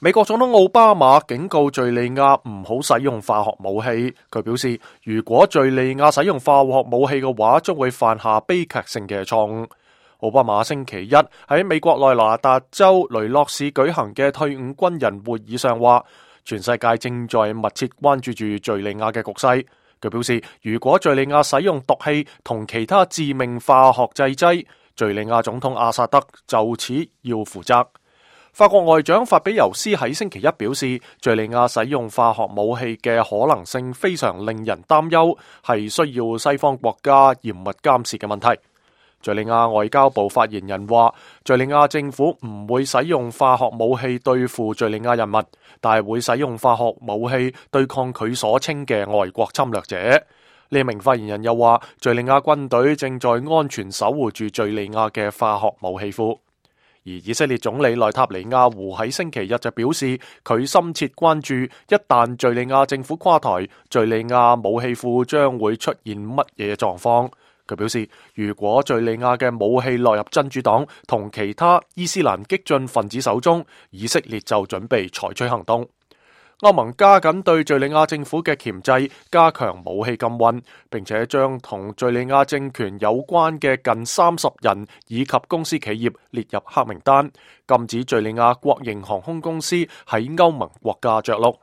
美國總統奧巴馬警告敘利亞唔好使用化學武器。佢表示，如果敘利亞使用化學武器嘅話，將會犯下悲劇性嘅錯誤。奧巴馬星期一喺美國內華達州雷諾市舉行嘅退伍軍人會議上話，全世界正在密切關注住敘利亞嘅局勢。佢表示，如果敘利亞使用毒氣同其他致命化學製劑，敘利亞總統阿薩德就此要負責。法國外長法比尤斯喺星期一表示，敘利亞使用化學武器嘅可能性非常令人擔憂，係需要西方國家嚴密監視嘅問題。敘利亞外交部發言人話，敘利亞政府唔會使用化學武器對付敘利亞人民，但係會使用化學武器對抗佢所稱嘅外國侵略者。呢名發言人又話，敘利亞軍隊正在安全守護住敘利亞嘅化學武器庫。而以色列總理內塔尼亞胡喺星期日就表示，佢深切關注一旦敘利亞政府垮台，敘利亞武器庫將會出現乜嘢狀況。佢表示，如果敘利亞嘅武器落入真主黨同其他伊斯蘭激進分子手中，以色列就準備採取行動。歐盟加緊對敘利亞政府嘅鉗制，加強武器禁運，並且將同敘利亞政權有關嘅近30人以及公司企業列入黑名單，禁止敘利亞國營航空公司喺歐盟國家着陸。